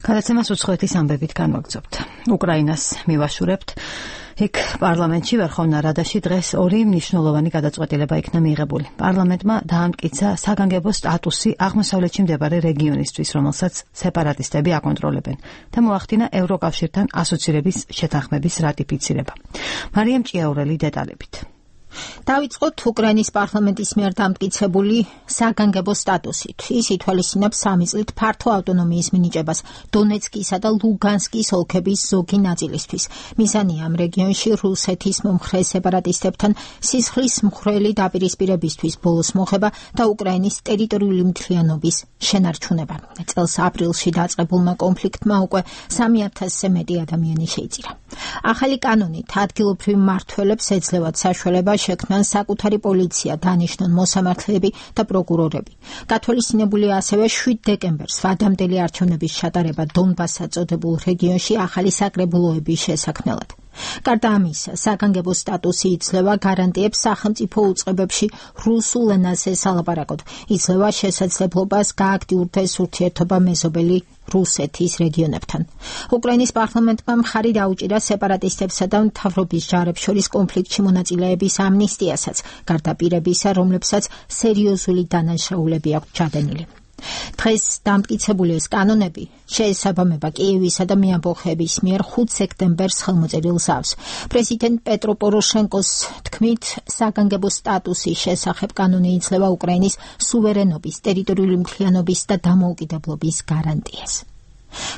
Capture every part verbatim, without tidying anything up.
გადაცემას უცხოეთის ამბებით განვაგრძობთ. უკრაინას მივაშურებთ. იქ პარლამენტში ვერხოვნა რადაში დღეს ორი მნიშვნელოვანი გადაწყვეტილება იქნა მიიღებული. პარლამენტმა დაამტკიცა საგანგებო სტატუსი აღმოსავლეთში მდებარე რეგიონისთვის, რომელსაც სეპარატისტები აკონტროლებენ და მოახდინა ევროკავშირთან ასოცირების შეთანხმების რატიფიცირება. მარიამ ჭიაურელი დეტალებით. დავიწყოთ უკრაინის პარლამენტის მიერ დამტკიცებული საგანგებო სტატუსით. ის ითვალისწინებს სამი წლით ფართო ავტონომიის მინიჭებას დონეცკისა და ლუგანსკის ოლქების ზოგი ნაწილისთვის. მიზანია ამ რეგიონში რუსეთის მომხრე სეპარატისტებთან სისხლის მხვრელი დაპირისპირებისთვის ბოლოს მოხება და უკრაინის ტერიტორიული მთლიანობის შენარჩუნება. წელს აპრილში დაწყებულმა კონფლიქტმა უკვე სამი ათასზე მეტი ადამიანი შეიწირა. ახალი კანონით ადგილობრივ მმართველებს ეძლევათ საშუალება შექმნან საკუთარი პოლიცია, დანიშნონ მოსამართლეები და პროკურორები. გათვალისწინებულია ასევე შვიდ დეკემბერს ვადამდელი არჩევნების ჩატარება დონბასს წოდებულ რეგიონში ახალი საკრებულოების შესაქმნელად. გარდა ამისა, საგანგებო სტატუსი იძლევა გარანტიებს სახელმწიფო უწყებებში რუსულ ენაზე სალაპარაკოდ, იძლევა შესაძლებლობას გააქტიურდეს ურთიერთობა მეზობელი რუსეთის რეგიონებთან. უკრაინის პარლამენტმა მხარი დაუჭირა სეპარატისტებსა და მთავრობის ჯარებს შორის კონფლიქტში მონაწილეების ამნისტიასაც, გარდა პირებისა, რომლებსაც სერიოზული დანაშაულები აქვთ ჩადენილი. დღეს დამტკიცებული ეს კანონები შეესაბამება კიევისა და მეამბოხეების მიერ ხუთ სექტემბერს ხელმოწერილ ზავს. პრეზიდენტ პეტრო პოროშენკოს თქმით, საგანგებო სტატუსის შესახებ კანონი იძლევა უკრაინის სუვერენობის, ტერიტორიული მთლიანობის და დამოუკიდებლობის გარანტიას.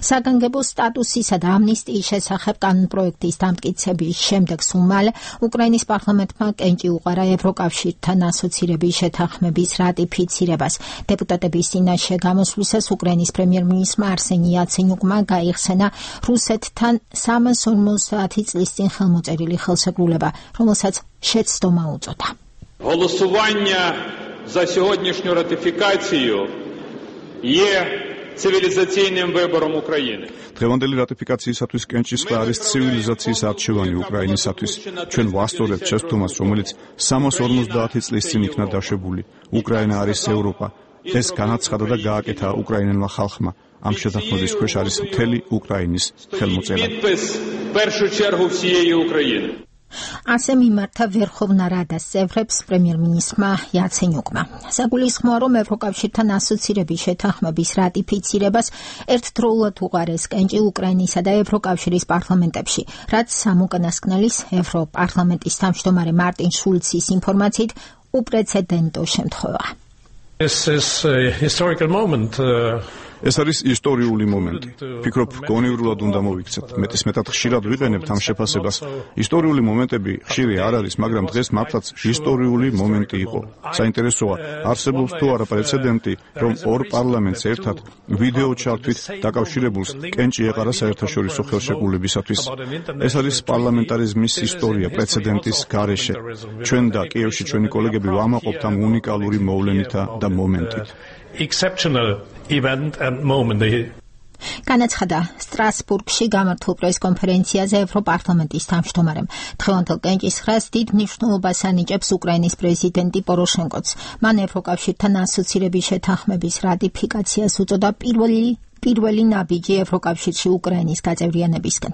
საგანგებო სტატუსისა და ამნისტიის შესახებ კანონპროექტის დამტკიცების შემდეგ სულ მალე უკრაინის პარლამენტმა კენჭი უყარა ევროკავშირთან ასოცირების შეთანხმების რატიფიცირებას. დეპუტატების წინაშე გამოსვლისას უკრაინის პრემიერ-მინისტრმა არსენი იაცენიუკმა გაიხსენა რუსეთთან სამას ორმოცდაათი წლის წინ ხელმოწერილი ხელშეკრულება, რომელსაც შეცდომა უწოდა. Голосування за сьогоднішню ратифікацію є ცივილიზაცійним вибором України. დღევანდელი რატიფიკაციისათვის კენჭისყრა არის ცივილიზაციის არჩევანი უკრაინისათვის. ჩვენ ვასწორებთ შეცდომას, რომელიც სამას ორმოცდაათი წლის წინ იქნა დაშვებული. უკრაინა არის ევროპა. ეს განაცხადა და გააკეთა უკრაინელმა ხალხმა. ამ შეთანხმების ქვეშ არის მთელი უკრაინის ხელმოწერა. першу чергу всієї України. ასე მიმართა ვერხოვნა რადას წევრებს პრემიერ-მინისტრმა იაცენიუკმა. საგულისხმოა, რომ ევროკავშირთან ასოცირების შეთანხმების რატიფიცირებას ერთდროულად უყარეს კენჭი უკრაინისა და ევროკავშირის პარლამენტებში, რაც სამოკანასკნელის ევროპარლამენტის თავმჯდომარე მარტინ შულცის ინფორმაციით უპრეცედენტო შემთხვევა. This is a historical moment. Uh... ეს არის ისტორიული მომენტი. ფიქრობ, გონივრულად უნდა მოვიქცეთ. მეტისმეტად ხშირად ვიყენებთ ამ შეფასებას. ისტორიული მომენტები ხშირი არ არის, მაგრამ დღეს მართლაც ისტორიული მომენტი იყო. საინტერესოა, არსებობს თუ არა პრეცედენტი, რომ ორ პარლამენტს ერთად ვიდეო ჩართვით დაკავშირებულს კენჭი ეყარა საერთაშორისო ხელშეკრულებისათვის. ეს არის პარლამენტარიზმის ისტორია პრეცედენტის გარეშე. ჩვენ და კიევში ჩვენი კოლეგები ვამაყობთ ამ უნიკალური მოვლენითა და მომენტით. Exceptional event and moment. განაცხადა სტრასბურგში გამართულ პრესკონფერენციაზე ევროპარლამენტის თავმჯდომარემ. დღევანდელ კენჭისყრას დიდ მნიშვნელობას ანიჭებს უკრაინის პრეზიდენტი პოროშენკოც. მან ევროკავშირთან ასოცირების შეთანხმების რატიფიკაციას უწოდა პირველი პირველი ნაბიჯი ევროკავშირში უკრაინის გაწევრიანებისკენ.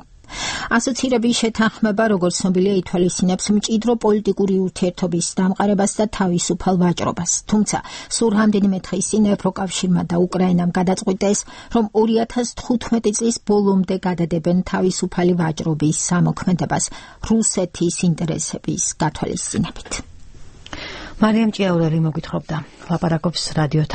ასოცირების შეთანხმება, როგორც ცნობილია, ითვალისწინებს მჭიდრო პოლიტიკური ურთიერთობის დამყარებას და თავისუფალ ვაჭრობას. თუმცა, სულ რამდენიმე დღის წინ ევროკავშირმა და უკრაინამ გადაწყვიტეს, რომ ორი ათას თხუთმეტი წლის ბოლომდე გადადებენ თავისუფალი ვაჭრობის სამოქმედებას რუსეთის ინტერესების გათვალისწინებით. მარიამ ჭიაურელი მოგვითხრობდა. ლაპარაკობს რადიო